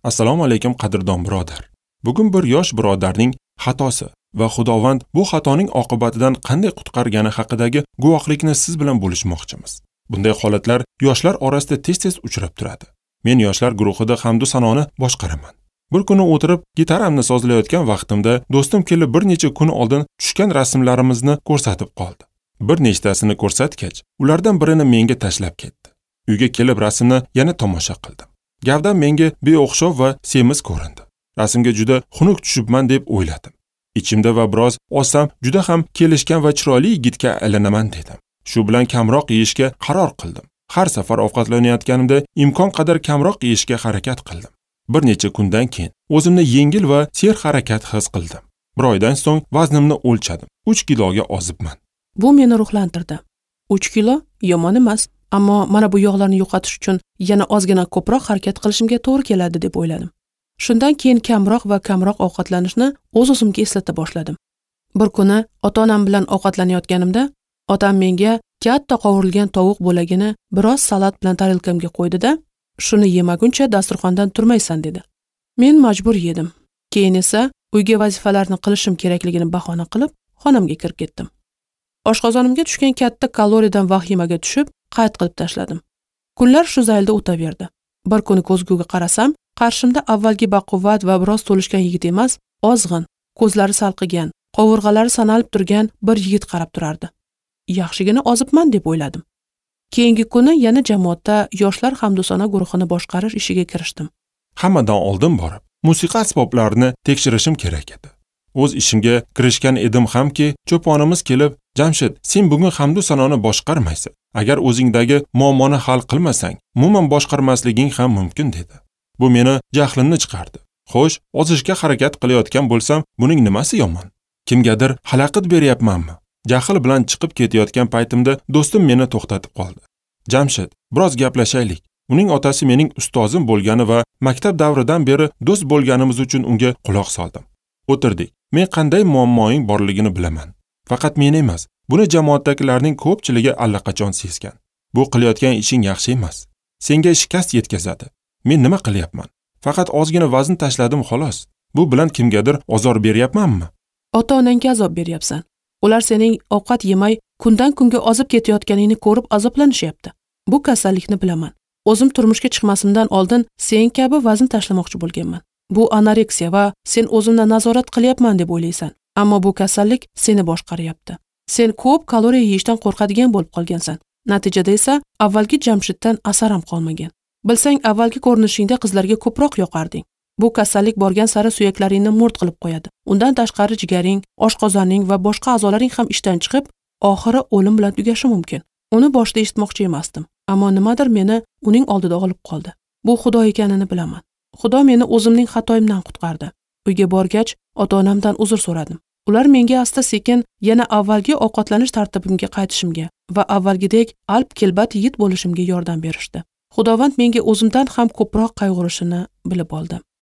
Assalomu alaykum qadrdon birodar. Bugun bir yosh birodarning xatosi va Xudovand bu xatoning oqibatidan qanday qutqargani haqidagi guvohlikni siz bilan bo'lishmoqchimiz. Bunday holatlar yoshlar orasida tez-tez uchrab turadi. Men yoshlar guruhida hamdu sanoni boshqaraman. Bir kuni o'tirib gitaramni sozlayotgan vaqtimda do'stim kelib bir necha kun oldin tushgan rasmlarimizni ko'rsatib qoldi. Bir nechtasini ko'rsatgach, ulardan birini menga tashlab ketdi. Uyga kelib rasmni yana tomosha qildim. Gavdam menga beo'xshov va semiz ko'rindi. Rasmga juda xunuk tushibman deb o'yladim. Ichimda va biroz ozsam juda ham kelishgan va chiroyli yigitga aylanaman dedim. Shu bilan kamroq yeyishga qaror qildim. Har safar ovqatlanayotganimda imkon qadar kamroq yeyishga harakat qildim. Bir necha kundan keyin o'zimni yengil va serharakat his qildim. Bir oydan so'ng vaznimni o'lchadim. 3 kiloga ozibman. Bu meni ruhlantirdi. 3 kilo yomon emas, ammo mana bu yog'larni yo'qotish uchun yana ozgina ko'proq harakat qilishimga to'g'ri keladi deb o'yladim. Shundan keyin kamroq va kamroq ovqatlanishni o'z-o'zimga eslata boshladim. Bir kuni ota-onam bilan ovqatlanayotganimda otam menga katta qovurilgan tovuq bo'lagini biroz salat bilan tarelkamga qo'ydi-da, shuni yemaguncha dasturxondan turmaysan dedi. Men majbur yedim. Keyin esa uyga vazifalarni qilishim kerakligini bahona qilib, xonamga kirib ketdim. Oshqozonimga tushgan katta kaloriyadan vahimaga tushib, qayd qilib tashladim. Kunlar shu zaylda o'taverdi. Bir kuni ko'zguga qarasam, qarshimda avvalgi baquvvat va biroz to'lishgan yigit emas, ozg'in, ko'zlari salqigan, qovurg'alari sanalib turgan bir yigit qarab turardi. Yaxshigina ozibman deb o'yladim. Keyingi kuni yana jamoatda yoshlar hamdusona guruhini boshqarish ishiga kirishdim. Hammadan oldin borib, musiqa asboblarini tekshirishim kerak edi. O'z ishimga kirishgan edim hamki, cho'ponimiz kelib, "Jamshid, sen bugun hamdu sanoni boshqarmaysan. Agar o'zingdagi muammoni hal qilmasang, umuman boshqarmasliging ham mumkin" dedi. Bu meni jahlimni chiqardi. Xo'sh, ozishga harakat qilayotgan bo'lsam, buning nimasi yomon? Kimgadir xalaqit beryapmanmi? Jahl bilan chiqib ketayotgan paytimda do'stim meni to'xtatib qoldi. "Jamshid, biroz gaplashaylik." Uning otasi mening ustozim bo'lgani va maktab davridan beri do'st bo'lganimiz uchun unga quloq soldim. O'tirdik. Men qanday muammoing borligini bilaman. Faqat men emas, buni jamoatdagilarning ko'pchiligi allaqachon sezgan. Bu qilayotgan ishing yaxshi emas. Senga shikast yetkazadi. Men nima qilyapman? Faqat ozgina vazn tashladim xolos. Bu bilan kimgadir ozor beryapmanmi? Ota-onangga azob beryapsan. Ular sening ovqat yemay kundan kunga ozib ketayotganingni ko'rib azoblanishyapti. Bu kasallikni bilaman. O'zim turmushga chiqmasimdan oldin sen kabi vazn tashlamoqchi bo'lganman. Bu anoreksiya va sen o'zimni nazorat qilyapman deb o'ylaysan. Ammo bu kasallik seni boshqaryapti. Sen ko'p kaloriya yeyishdan qo'rqadigan bo'lib qolgansan. Natijada esa avvalgi Jamshiddan asar ham qolmagan. Bilsang, avvalgi ko'rinishingda qizlarga ko'proq yoqarding. Bu kasallik borgan sari suyaklaringni mo'rt qilib qo'yadi. Undan tashqari jigaring, oshqozoning va boshqa a'zolaring ham ishdan chiqib, oxiri o'lim bilan tugashi mumkin. Uni boshida eshitmoqchi emasdim, ammo nimadir meni uning oldida olib qoldi. Bu Xudo ekanini bilaman. Xudo meni o'zimning xatoyimdan qutqardi. Uyga borgach, ota-onamdan uzr so'radim. Ular menga asta-sekin yana avvalgi ovqatlanish tartibimga qaytishimga va avvalgidek alp kelbat yigit bo'lishimga yordam berishdi. Xudovand menga o'zimdan ham ko'proq qayg'urishini bilib oldim.